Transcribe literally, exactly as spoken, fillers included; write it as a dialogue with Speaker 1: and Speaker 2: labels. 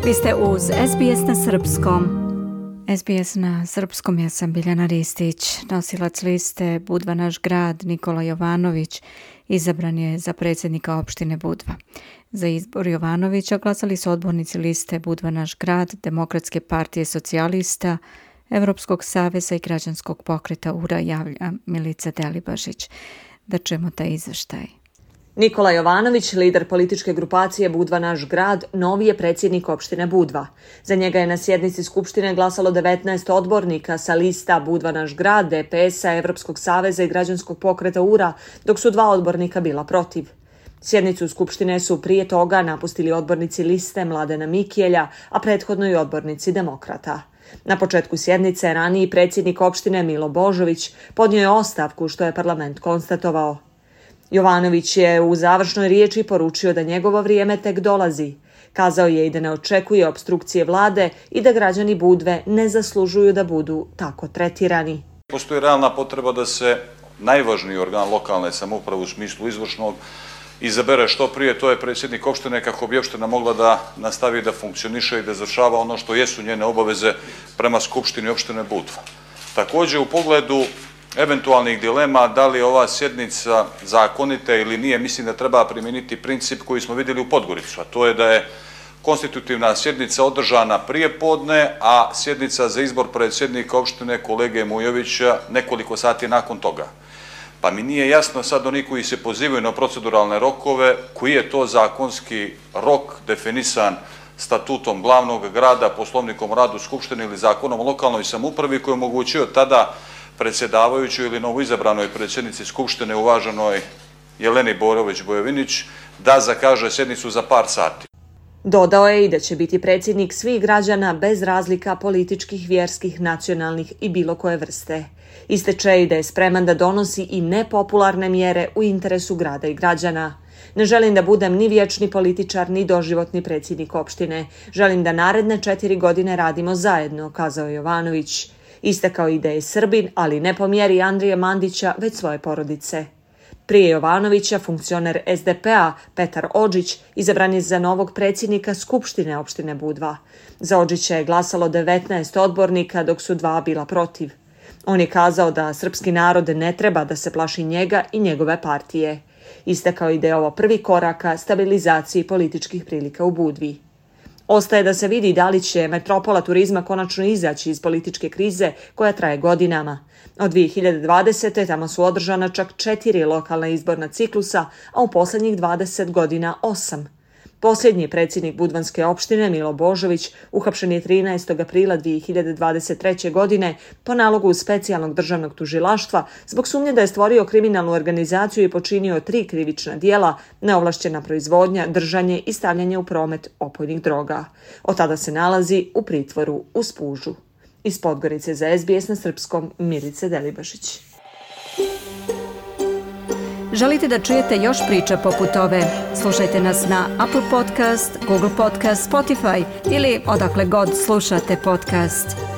Speaker 1: Vi ste uz es be es na srpskom. es be es na srpskom, ja sam Biljana Ristić. Nosilac liste Budva naš grad Nikola Jovanović izabran je za predsjednika opštine Budva. Za izbor Jovanovića glasali su odbornici liste Budva naš grad, Demokratske partije socijalista, Evropskog saveza i građanskog pokreta U R A, javlja Milica Delibašić. Da čujemo taj izveštaj.
Speaker 2: Nikola Jovanović, lider političke grupacije Budva naš grad, novi je predsjednik opštine Budva. Za njega je na sjednici Skupštine glasalo devetnaest odbornika sa lista Budva naš grad, D P S-a, Evropskog saveza i građanskog pokreta U R A, dok su dva odbornika bila protiv. Sjednicu Skupštine su prije toga napustili odbornici liste Mladena Mikijelja, a prethodno i odbornici Demokrata. Na početku sjednice raniji predsjednik opštine Milo Božović podnio je ostavku, što je parlament konstatovao. Jovanović je u završnoj riječi poručio da njegovo vrijeme tek dolazi. Kazao je i da ne očekuje opstrukcije vlade i da građani Budve ne zaslužuju da budu tako tretirani.
Speaker 3: Postoji realna potreba da se najvažniji organ lokalne samouprave u smislu izvršnog izabere što prije, to je predsjednik opštine, kako bi opština mogla da nastavi da funkcioniše i da izvršava ono što jesu njene obaveze prema Skupštini opštine Budva. Također, u pogledu eventualnih dilema da li je ova sjednica zakonita ili nije, mislim da treba primijeniti princip koji smo vidjeli u Podgoricu, a to je da je konstitutivna sjednica održana prije podne, a sjednica za izbor predsjednika opštine kolege Mujovića nekoliko sati nakon toga. Pa mi nije jasno sad oni koji se pozivaju na proceduralne rokove, koji je to zakonski rok definisan statutom glavnog grada, poslovnikom o radu Skupštine ili zakonom o lokalnoj samoupravi koji je omogućio tada predsjedavajućoj ili novoizabranoj predsjednici Skupštine uvaženoj Jeleni Borović-Bojovinić da zakaže sjednicu za par sati.
Speaker 2: Dodao je i da će biti predsjednik svih građana bez razlika političkih, vjerskih, nacionalnih i bilo koje vrste. Ističe i da je spreman da donosi i nepopularne mjere u interesu grada i građana. Ne želim da budem ni vječni političar, ni doživotni predsjednik opštine. Želim da naredne četiri godine radimo zajedno, kazao je Jovanović. Istakao i da je Srbin, ali ne po mjeri Andrije Mandića, već svoje porodice. Prije Jovanovića, funkcioner es de pe a Petar Odžić izabran je za novog predsjednika Skupštine opštine Budva. Za Odžića je glasalo devetnaest odbornika, dok su dva bila protiv. On je kazao da srpski narod ne treba da se plaši njega i njegove partije. Istakao i da je ovo prvi korak ka stabilizaciji političkih prilika u Budvi. Ostaje da se vidi da li će metropola turizma konačno izaći iz političke krize koja traje godinama. Od dvije hiljade dvadesete. tamo su održana čak četiri lokalna izborna ciklusa, a u posljednjih dvadeset godina osam. Posljednji predsjednik Budvanske opštine Milo Božović uhapšen je trinaestog aprila dvije hiljade dvadeset treće. godine po nalogu specijalnog državnog tužilaštva zbog sumnje da je stvorio kriminalnu organizaciju i počinio tri krivična dijela, neovlašćena proizvodnja, držanje i stavljanje u promet opojnih droga. Od tada se nalazi u pritvoru u Spužu. Iz Podgorice za es be es na srpskom, Milica Delibašić.
Speaker 1: Želite da čujete još priča poput ove? Slušajte nas na Apple Podcast, Google Podcast, Spotify ili odakle god slušate podcast.